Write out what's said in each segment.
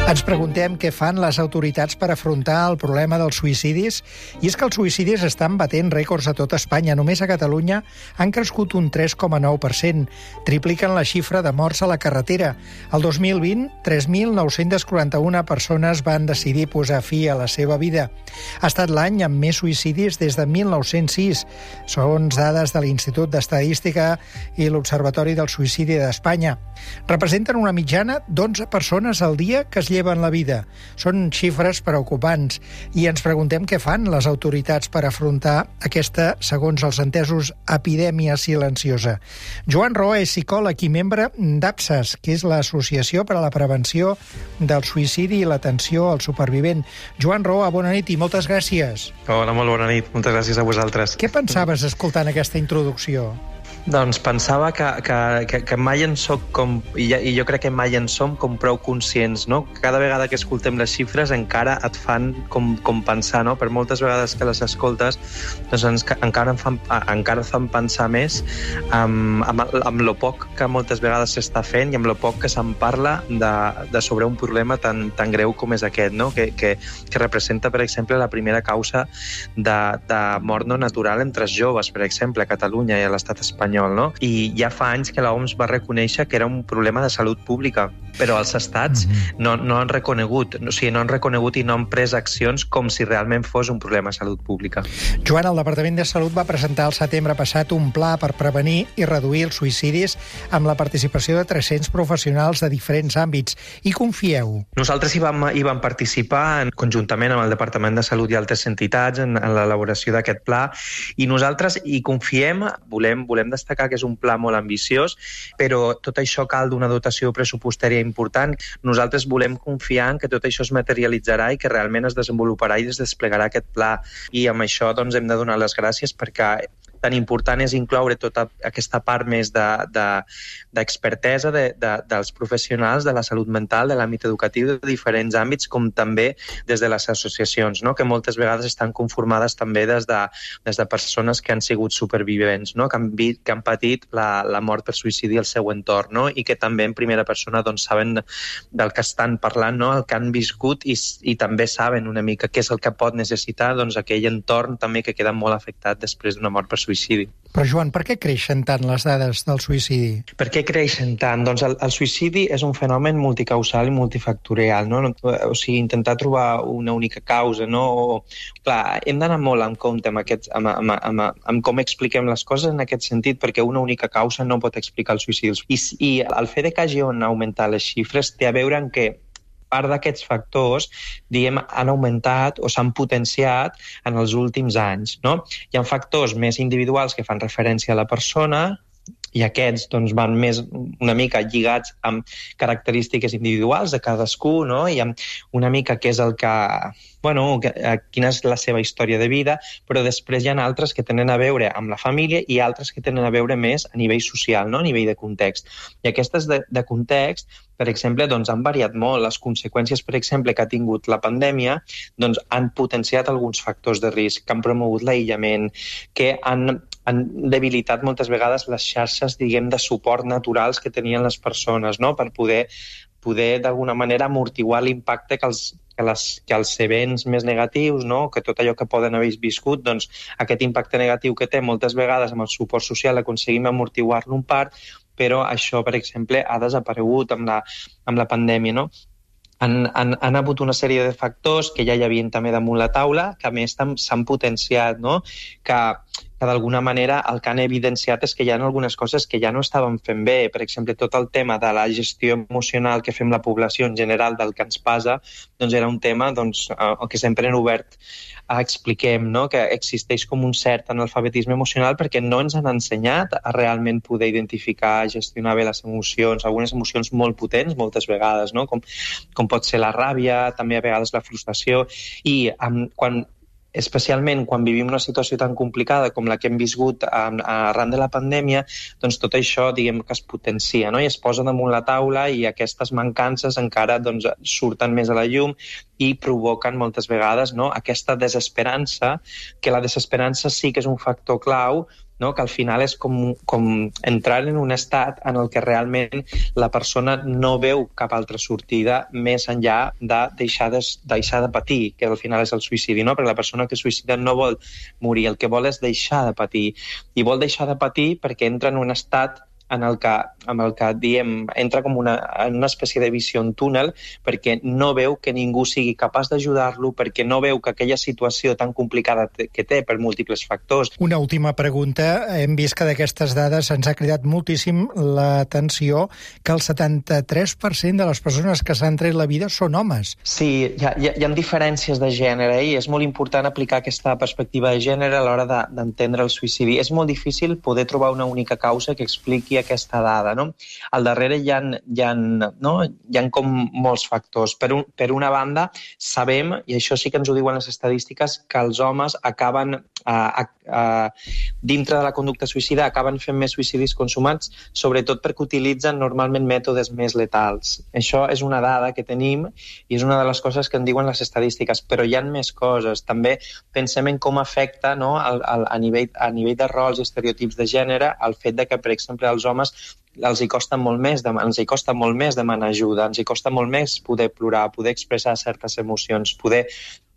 Ens preguntem què fan les autoritats per afrontar el problema dels suïcidis. I és que els suïcidis estan batent rècords a tot Espanya. Només a Catalunya han crescut un 3,9%. Tripliquen la xifra de morts a la carretera. El 2020, 3.941 persones van decidir posar fi a la seva vida. Ha estat l'any amb més suïcidis des de 1906. Són dades de l'Institut d'Estadística i l'Observatori del Suïcidi d'Espanya. Representen una mitjana d'11 persones al dia que es lleven la vida. Són xifres preocupants i ens preguntem què fan les autoritats per afrontar aquesta, segons els entesos, epidèmia silenciosa. Joan Roa és psicòleg i membre d'APSAS, que és l'Associació per a la Prevenció del Suïcidi i l'Atenció al Supervivent. Joan Roa, bona nit i moltes gràcies. Hola, molt bona nit. Moltes gràcies a vosaltres. Què pensaves escoltant aquesta introducció? Doncs pensava que mai en soc com... I jo crec que mai en som com prou conscients, no? Cada vegada que escoltem les xifres encara et fan com pensar, no? Per moltes vegades que les escoltes, doncs encara et fan pensar més amb lo poc que moltes vegades s'està fent i amb lo poc que se'n parla de sobre un problema tan greu com és aquest, no? Que representa, per exemple, la primera causa de mort no natural entre els joves, per exemple, a Catalunya i a l'estat espanyol. No? I ja fa anys que l'OMS va reconèixer que era un problema de salut pública, però els estats no han reconegut, o sigui, no han reconegut i no han pres accions com si realment fos un problema de salut pública. Joan, el Departament de Salut va presentar el setembre passat un pla per prevenir i reduir els suïcidis amb la participació de 300 professionals de diferents àmbits. I confieu? Nosaltres hi vam participar conjuntament amb el Departament de Salut i altres entitats en l'elaboració d'aquest pla i nosaltres hi confiem, volem destacar que és un pla molt ambiciós, però tot això cal d'una dotació pressupostària important. Nosaltres volem confiar en que tot això es materialitzarà i que realment es desenvoluparà i es desplegarà aquest pla. I amb això doncs, hem de donar les gràcies perquè tan important és incloure tota aquesta part més d'expertesa dels professionals de la salut mental, de l'àmbit educatiu, de diferents àmbits, com també des de les associacions, no? Que moltes vegades estan conformades també des de persones que han sigut supervivents, no? que han patit la mort per suïcidi al seu entorn, no? I que també en primera persona doncs, saben del que estan parlant, no? El que han viscut i també saben una mica què és el que pot necessitar doncs, aquell entorn també que queda molt afectat després d'una mort per suïcidi. Però, Joan, per què creixen tant les dades del suïcidi? Per què creixen tant? Doncs el suïcidi és un fenomen multicausal i multifactorial, no? O sigui, intentar trobar una única causa, no? Clar, hem d'anar molt en compte amb com expliquem les coses en aquest sentit, perquè una única causa no pot explicar el suïcidi. I el fet que hagin augmentat les xifres té a veure amb que part d'aquests factors, han augmentat o s'han potenciat en els últims anys, no? Hi ha factors més individuals que fan referència a la persona i aquests doncs, van més una mica lligats amb característiques individuals de cadascú, no? I amb una mica què és el que... quina és la seva història de vida, però després hi ha altres que tenen a veure amb la família i altres que tenen a veure més a nivell social, no? A nivell de context. I aquestes de context, per exemple, doncs, han variat molt. Les conseqüències, per exemple, que ha tingut la pandèmia doncs, han potenciat alguns factors de risc, que han promogut l'aïllament, que han debilitat moltes vegades les xarxes, diguem, de suport naturals que tenien les persones, no? Per poder d'alguna manera amortiguar l'impacte que els events més negatius, no? Que tot allò que poden haver viscut, doncs aquest impacte negatiu que té moltes vegades amb el suport social aconseguim amortiguar-lo en part, però això, per exemple, ha desaparegut amb la pandèmia, no? Han hagut una sèrie de factors que ja hi havien també damunt la taula, que a més s'han potenciat, no? Que d'alguna manera el que han evidenciat és que hi ha algunes coses que ja no estaven fent bé. Per exemple, tot el tema de la gestió emocional que fem la població en general del que ens passa, doncs era un tema que sempre hem obert expliquem, no? Que existeix com un cert analfabetisme emocional perquè no ens han ensenyat a realment poder identificar i gestionar bé les emocions, algunes emocions molt potents moltes vegades, no? Com pot ser la ràbia, també a vegades la frustració, i especialment quan vivim una situació tan complicada com la que hem viscut arran de la pandèmia, doncs tot això diguem que es potencia, no? I es posa damunt la taula i aquestes mancances encara doncs, surten més a la llum i provoquen moltes vegades, no? Aquesta desesperança, que la desesperança sí que és un factor clau no? Que al final és com entrar en un estat en el que realment la persona no veu cap altra sortida més enllà de deixar de patir, que al final és el suïcidi, no? Perquè la persona que suïcida no vol morir, el que vol és deixar de patir. I vol deixar de patir perquè entra en un estat en el que diem, entra com en una espècie de visió en túnel, perquè no veu que ningú sigui capaç d'ajudar-lo, perquè no veu que aquella situació tan complicada que té per múltiples factors. Una última pregunta. Hem vist que d'aquestes dades ens ha cridat moltíssim l'atenció que el 73% de les persones que s'han tret la vida són homes. Sí, hi ha diferències de gènere i és molt important aplicar aquesta perspectiva de gènere a l'hora d'entendre el suïcidi. És molt difícil poder trobar una única causa que expliqui aquesta dada, no? Al darrere hi ha com molts factors. Per una banda, sabem, i això sí que ens ho diuen les estadístiques, que els homes acaben dintre de la conducta suïcida acaben fent més suïcidis consumats, sobretot perquè utilitzen normalment mètodes més letals. Això és una dada que tenim i és una de les coses que en diuen les estadístiques, però hi ha més coses. També pensem en com afecta, no, a nivell de rols i estereotips de gènere el fet de que, per exemple, als homes ens hi costa molt més demanar ajuda, ens hi costa molt més poder plorar, poder expressar certes emocions, poder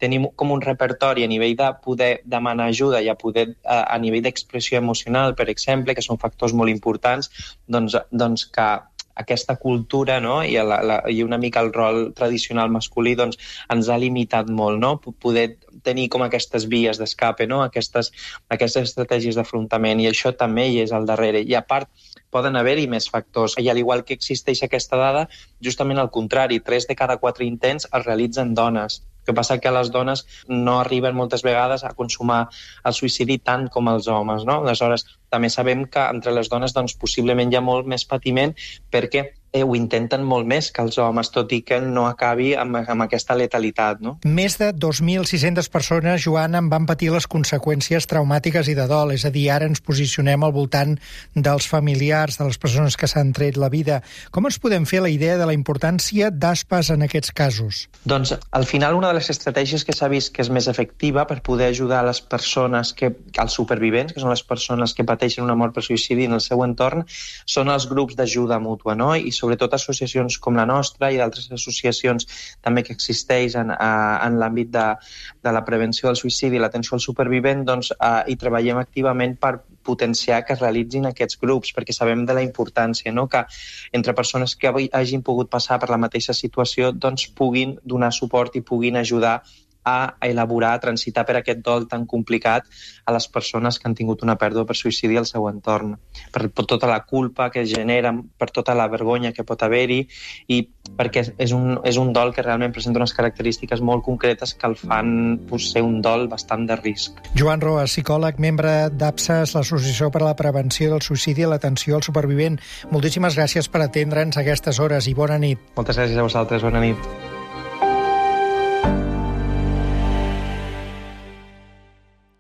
tenir com un repertori a nivell de poder demanar ajuda i a nivell d'expressió emocional, per exemple, que són factors molt importants, doncs que aquesta cultura, no? I una mica el rol tradicional masculí doncs, ens ha limitat molt, no? Poder tenir com aquestes vies d'escape, no? Aquestes estratègies d'afrontament, i això també hi és al darrere. I a part, poden haver-hi més factors. I al igual que existeix aquesta dada, justament al contrari, 3 de cada 4 intents es realitzen dones. El que passa que les dones no arriben moltes vegades a consumar el suïcidi tant com els homes, no? Aleshores, també sabem que entre les dones doncs, possiblement hi ha molt més patiment perquè ho intenten molt més que els homes, tot i que no acabi amb aquesta letalitat, no? Més de 2.600 persones, Joan, en van patir les conseqüències traumàtiques i de dol. És a dir, ara ens posicionem al voltant dels familiars, de les persones que s'han tret la vida. Com ens podem fer la idea de la importància d'ASPAs en aquests casos? Doncs, al final, una de les estratègies que s'ha vist que és més efectiva per poder ajudar les persones, els supervivents, que són les persones que pateixen una mort per suïcidi en el seu entorn, són els grups d'ajuda mútua, no? I sobretot associacions com la nostra i d'altres associacions també que existeixen en l'àmbit de la prevenció del suïcidi i l'atenció al supervivent, doncs hi treballem activament per potenciar que es realitzin aquests grups, perquè sabem de la importància, no? Que entre persones que hagin pogut passar per la mateixa situació doncs puguin donar suport i puguin ajudar a elaborar, a transitar per aquest dol tan complicat a les persones que han tingut una pèrdua per suïcidi al seu entorn, per tota la culpa que genera, per tota la vergonya que pot haver-hi i perquè és un dol que realment presenta unes característiques molt concretes que el fan ser un dol bastant de risc. Joan Roa, psicòleg, membre d'APSAS, l'Associació per a la Prevenció del Suïcidi i l'Atenció al Supervivent. Moltíssimes gràcies per atendre'ns a aquestes hores i bona nit. Moltes gràcies a vosaltres, bona nit.